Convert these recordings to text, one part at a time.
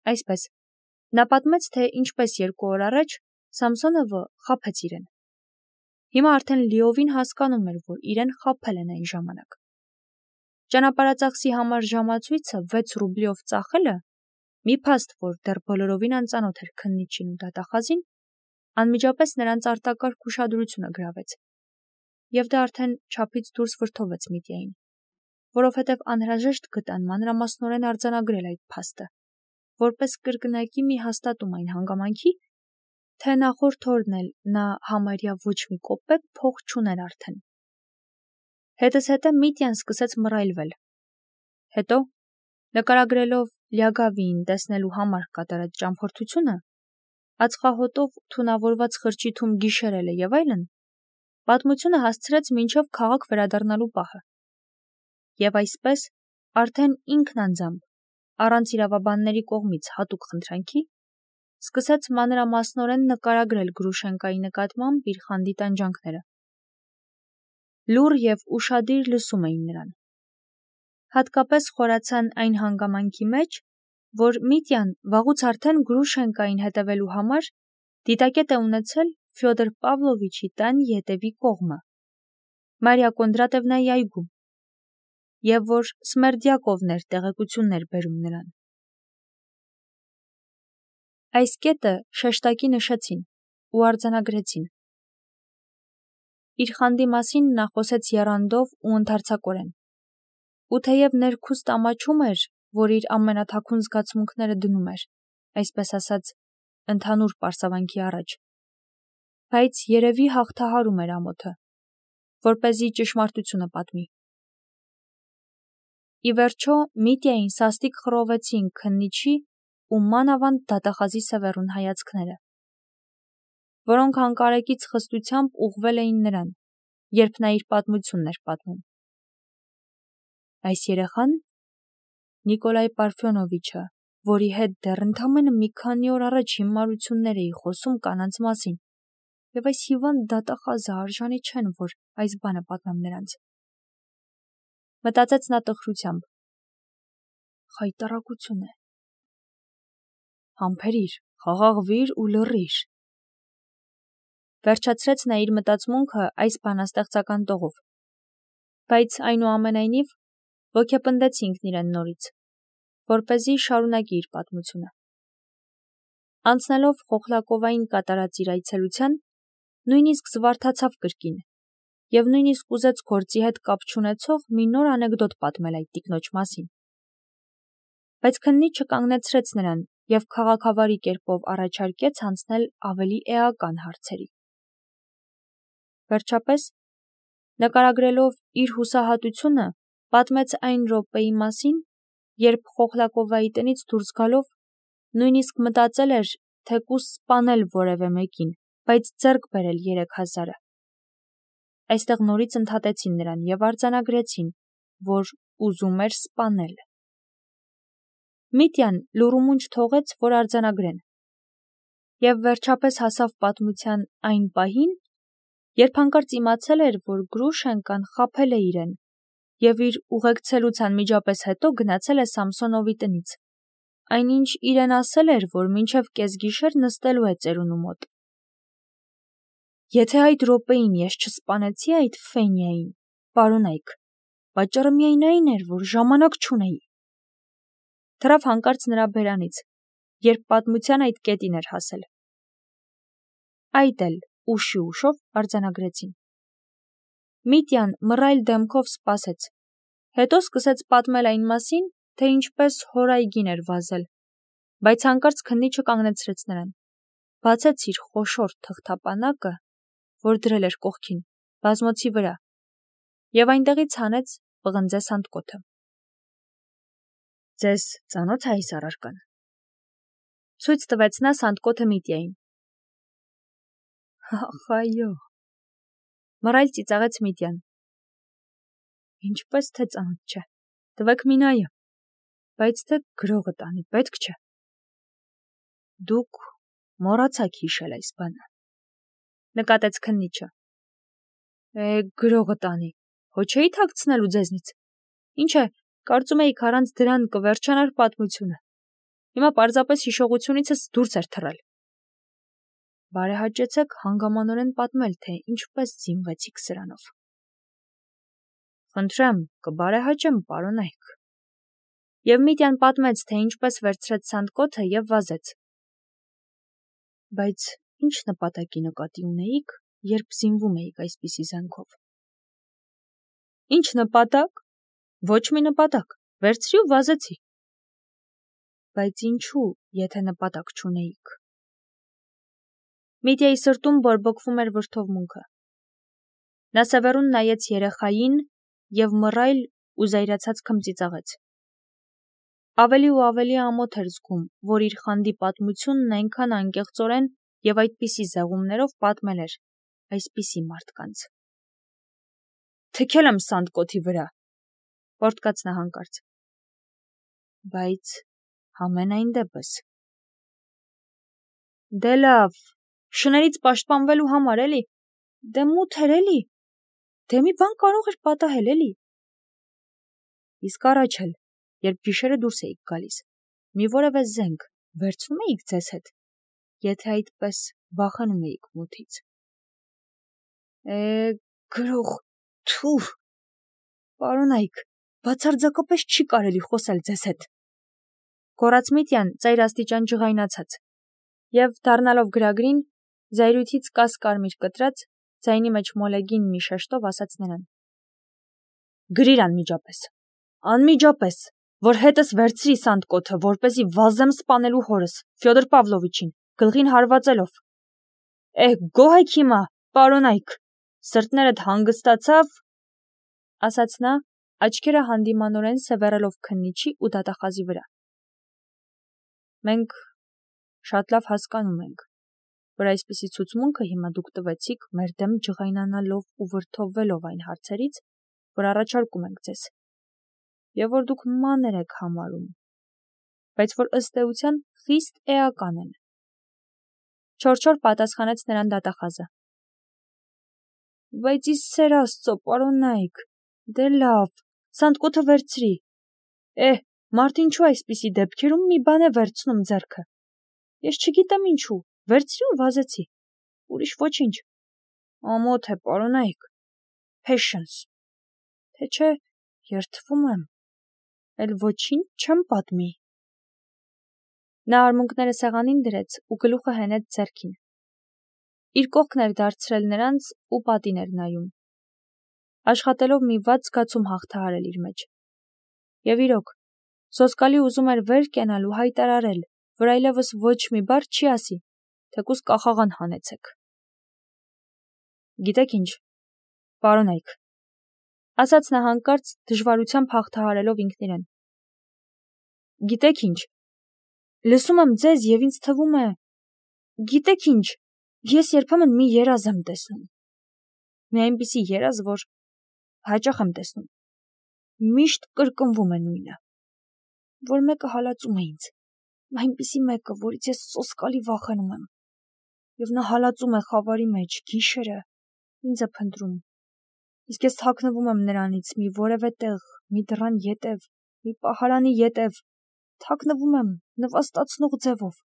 Այսպես, նա պատմեց, թե ինչպես 2 օր առաջ Սամսոնովը խաբեց իրեն։ Հիմա արդեն լիովին հասկանում էր, որ իրեն խաբել են այն ժամանակ։ Ճանապարհածախսի համար ժամացույցը 6 ռուբլիով ծախելը, մի փաստ, որ դեռ բոլորովին անծանոթ էր քննիչին ու դատախազին, անմիջապես նրանց արտակարգ ուշադրությունը գրավեց։ Եվ դա արդեն չափից դուրս վրդովեց Միտյային, որովհետև անհրաժեշտ գտան մանրամասնորեն արձանագրել այդ փաստը, որպես կրկնակի մի հաստատում այն հանգամանքի, թե նախորդ օրն էլ նա համարյա ոչ մի կոպեկ փող չուներ արդեն։ Հետզհետե Միտյան սկսեց մռայլվել։ Հետո, նկարագրելով Լյագավիին տեսնելու համար կատարած ճամփորդությունը, ածխահոտով թունավորված խրճիթում գիշերելը եւ այլն, պատմությունը հասցրեց մինչև քաղաք վերադառնալու պահը։ Եվ այսպես, արդեն ինքն անձամբ, առանց իրավաբանների կողմից հատուկ խնդրանքի, սկսեց մանրամասնորեն նկարագրել Գրուշենկայի նկատմամբ իր խանդի տանջանքները։ Լուռ եւ ուշադիր լսում էին նրան։ Հատկապես խորացան այն հանգամանքի մեջ, որ Միտյան վաղուց արդեն Գրուշենկային հետևելու համար դիտակետ է ունեցել Ֆյոդոր Պավլովիչի տան ետևի կողմը, Մարիա Կոնդրատևնայի այգում, եւ որ Սմերդյակովն էր տեղեկություններ բերում նրան։ Այս կետը շեշտակի նշեցին ու արձանագրեցին։ Իր խանդի մասին նա խոսեց եռանդով ու ընդարձակորեն։ Ու թեև ներքուստ ամաչում էր, որ իր ամենաթաքուն զգացմունքները դնում էր, այսպես ասած, ընդհանուր պարսավանքի առաջ, բայց երևի հաղթահարում էր ամոթը, որպեսզի ճշմարտությունը պատմի։ Ի վերջո Միտյային սաստիկ խռովեցին քննիչի ու մանավանդ դատախազի սևեռուն հայացքները, որոնք անկարեկից խստությամբ ուղղվել էին նրան, երբ նա իր պատմությունն էր պատմում։ Այս երեխան Նիկոլայ Պարֆյոնովիչը, որի հետ դեռ ընդամենը մի քանի օր առաջ հիմարություններ էի խոսում կանանց մասին, եւ այս հիվանդ դատախազը արժանի չեն, որ այս բանը պատմեմ նրանց։ Մտածեց նա տխրությամբ։ Խայտառակություն է։ Համբերիր, խաղաղվիր ու լռիր։ Վերջացրեց նա իր մտածմունքը այս բանաստեղծական տողով, բայց այնուամենայնիվ ոգեպնդեց ինքն իրեն նորից, որպեսզի շարունակի իր պատմությունը։ Անցնելով Խոխլակովային կատարած իր այցելության, նույնիսկ զվարթացավ կրկին, եւ նույնիսկ ուզեց գործի հետ կապ չունեցող մի նոր անեկդոտ պատմել այդ տիկնոջ մասին։ Բայց քննիչը կանգնեցրեց նրան եւ քաղաքավարի կերպով առաջարկեց անցնել ավելի էական հարցերի։ Վերջապես, նկարագրելով իր հուսահատությունը, պատմեց այն րոպեի մասին, երբ Խոխլակովայի տնից դուրս գալով նույնիսկ մտածել էր թեկուզ սպանել որևէ մեկին, բայց ձեռք բերել 3000-ը։ Այստեղ նորից ընդհատեցին նրան եւ արձանագրեցին, որ ուզում էր սպանել։ Միտյան լուրումունջ թողեց, որ արձանագրեն։ Եվ վերջապես հասավ պատմության այն պահին, երբ հանկարծ իմացել էր, որ Գրուշենկան խաբել է իրեն եւ իր ուղեկցելուց անմիջապես հետո գնացել է Սամսոնովի տնից։ Այնինչ իրեն ասել էր, որ մինչև կեսգիշեր նստելու է ծերունու մոտ։ Եթե այդ րոպեին ես չսպանեցի այդ Ֆենիային, պարոնայք, պատճառը միայն այն էր, որ ժամանակ չունեի։ Թռավ հանկարծ նրա բերանից, երբ պատմության այդ կետին էր հասել։ Այդ էլ ուշի ուշով արձանագրեցին։ Միտյան մռայլ դեմքով սպասեց, հետո սկսեց պատմել այն մասին, թե ինչպես հորայգին էր վազել, բայց հանկարծ քննիչը կանգնեցրեց նրան, բացեց իր խոշոր թղթապանակը, որ դրել էր կողքին, բազմոցի վրա, եւ այնտեղից հանեց պղնձե սանդկոթը։ Ձեզ ծանոթ է այս առարկան։ Ցույց տվեց նա սանդկոթը Միտյային։ Ախ, այո։ Մռայլ ծիծաղեց Միտյան։ Ինչպես թե ծանոթ չէ։ Տվեք մի նայը, բայց թե գրողը տանի, պետք չէ։ Դուք մոռացաք հիշել այս բանը, նկատեց քննիչը։ Գրողը տանի, հո չէի թաքցնելու ձեզնից։ Ինչ է, կարծում էիք առանց դրան կվերջանար պատմությունը։ Հիմա պարզապես հիշողությունիցս դուրս էր թռել։ Բարեհաճեցեք հանգամանորեն պատմել, թե ինչպես զինվեցիք սրանով։ Խնդրեմ, կբարեհաճեմ, պարոնայք։ Եվ Միտյան պատմեց, թե ինչպես վերցրեց սանդկոթը և վազեց։ Բայց ինչ նպատակի նկատի ունեիք, երբ զինվում էիք այսպիսի զենքով։ Ինչ նպատակ։ Ոչ մի նպատակ, վերցրի ու վազեցի։ Բայց ինչու, եթե նպատակ չունեիք։ Միտյայի սրտում բորբոքվում էր վրդովմունքը։ Նա սևեռուն նայեց երեխային և մռայլ ու զայրացած քմծիծաղեց։ Ավելի ու ավելի ամոթ էր զգում, որ իր խանդի պատմությունն այնքան անկեղծորեն և այդպիսի զեղումներով պատմել էր այսպիսի մարդկանց։ Թքել եմ սանդկոթի վրա, պոռթկաց նա հանկարծ։ Բայց համենայն դեպս։ Դե լավ, շներից պաշտպանվելու համար էլի, դե մութ էր էլի, դե մի բան կարող էր պատահել էլի։ Իսկ առաջ էլ, երբ գիշերը դուրս էիք գալիս, մի որևէ զենք վերցնում էիք ձեզ հետ, եթե այդպես վախենում էիք մութից։ Գրող, թուր, պարոնայք, բացարձակապես չի կարելի խոսել ձեզ հետ։ Գոռաց Միտյան ծայր աստիճան ջղայնացած, և դառնալով գրագրին, զայրույթից կաս-կարմիր կտրած, ձայնի մեջ մոլեգին մի շեշտով ասաց նրան. Գրիր անմիջապես, որ հետս վերցրի սանդկոթը, որպեսզի վազեմ սպանելու հորս, Ֆյոդոր Պավլովիչին, գլխին հարվածելով։ Գոհ եք հիմա, պարոնայք, սրտներդ հանգստացավ, ասաց նա, աչքերը հանդիմանորեն սևեռելով քննիչի ու դատախազի վրա։ Մենք շատ լավ հասկանում ենք, որ այսպիսի ցուցմունքը հիմա դուք տվեցիք մեր դեմ ջղայնանալով ու վրդովվելով այն հարցերից, որ առաջարկում ենք ձեզ, և որ դուք մանր եք համարում, բայց որ ըստ էության խիստ էական են։ Չոր պատասխանեց նրան դատախազը։ Բայց ի սեր Աստծո, պարոնայք, դե լավ, սանդկոթը վերցրի։ Մարդ ինչու այսպիսի դեպքերում մի բան է վերցնում ձեռքը։ Ես չգիտեմ ինչու, վերցրի ու վազեցի։ Ուրիշ ոչինչ։ Ամոթ է, պարոնայք։ Patience։ Թե չէ, երդվում եմ, էլ ոչինչ չեմ պատմի։ Նա արմունկները սեղանին դրեց ու գլուխը հենեց ձեռքին։ Իր կողքն էր դարձրել նրանց ու պատին էր նայում, աշխատելով մի վատ զգացում հաղթահարել իր մեջ։ Եվ իրոք, սոսկալի ուզում էր վեր կենալ ու հայտարարել, որ այլևս ոչ մի բառ չի ասի, թեկուզ կախաղան հանեցեք։ Գիտեք ինչ, պարոնայք, ասաց նա հանկարծ դժվարությամբ հաղթահարելով ինքն իրեն։ Գիտեք ինչ, լսում եմ ձեզ և ինձ թվում է, գիտեք ինչ, ես երբեմն մի երազ եմ տեսնում։ Մի այնպիսի երազ, որ հաճախ եմ տեսնում։ Միշտ կրկնվում է նույնը, որ մեկը հալածում է ինձ, այնպիսի մեկը, որից ես սոսկալի վախենում եմ, և նա հալածում է խավարի մեջ, գիշերը, ինձ է փնտրում, իսկ ես թաքնվում եմ նրանից մի որևէ տեղ, մի դռան ետև, մի պահարանի ետև, թաքնվում եմ նվաստացնող ձևով,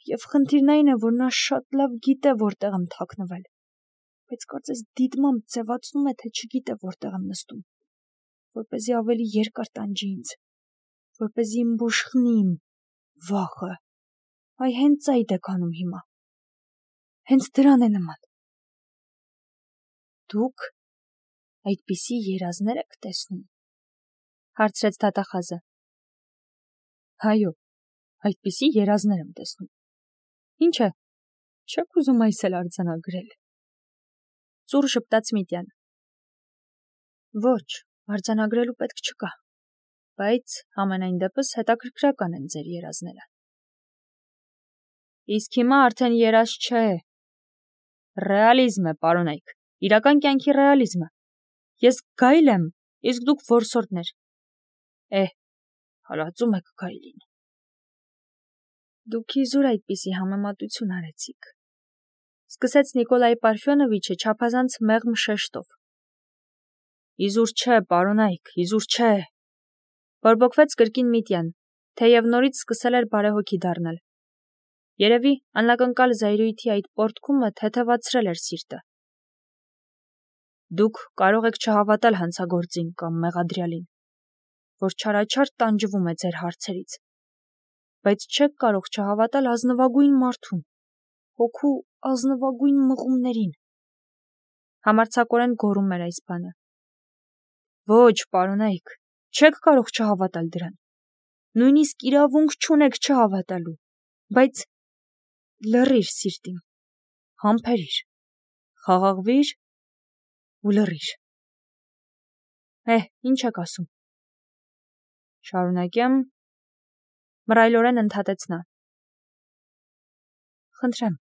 և խնդիրն այն է, որ նա շատ լավ գիտե որտեղ եմ թաքնվել, բայց կարծես դիտմամբ ձևացնում է, թե չգիտե որտեղ եմ նստում, որպեսզի ավելի երկար տանջի ինձ, որպեսզի ըմբոշխնի իմ վախը, այ հենց այդ է կանում հիմա, հենց դրան է նման։ Դուք այդպիսի երազներ եք տեսնում, հարցրեց դատախազը։ Այո, այդպիսի երազներ եմ տեսնում։ Ինչ է, չեք ուզում այս էլ արձանագրել։ Ծուռ ժպտաց Միտյան։ Ոչ, արձանագրելու պետք չկա, բայց համենայն դեպս հետաքրքրական են ձեր երազները։ Իսկ հիմա արդեն երազ չէ։ Ռեալիզմ է, պարոնայք, իրական կյանքի ռեալիզմը։ Ես գայլ եմ, իսկ դուք որսորդներ։ Հալածում եք գայլին։ Դուք իզուր այդպիսի համեմատություն արեցիք, սկսեց Նիկոլայ Պարֆյոնովիչը չափազանց մեղմ շեշտով։ Իզուր չէ, պարոնայք, իզուր չէ, բորբոքվեց կրկին Միտյան, թեև նորից սկսել էր բարեհոգի դառնել։ Երևի անակնկալ զայրույթի այդ պոռթկումը թեթևացրել էր սիրտը։ Դուք կարող եք չհավատալ հանցագործին կամ մեղադրյալին, որ չարաչար տանջվում է ձեր հարցերից, բայց չեք կարող չհավատալ ազնվագույն մարդուն, հոգու ազնվագույն մղումներին։ Համարձակորեն գոռում էր այս բանը։ Ոչ, պարոնայք, չեք կարող չհավատալ դրան։ Նույնիսկ իրավունք չունեք չհավատալու, բայց լռիր սիրտիմ, համբերիր, խաղաղվիր ու լռիր։ Ինչ եք ասում։ Շարունակեմ, մռայլորեն ընդհատեց նա։ Խնդրեմ,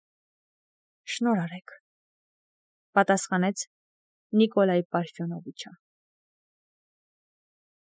շնորհ արեք, պատասխանեց Նիկոլայ Պարֆյոնովիչը։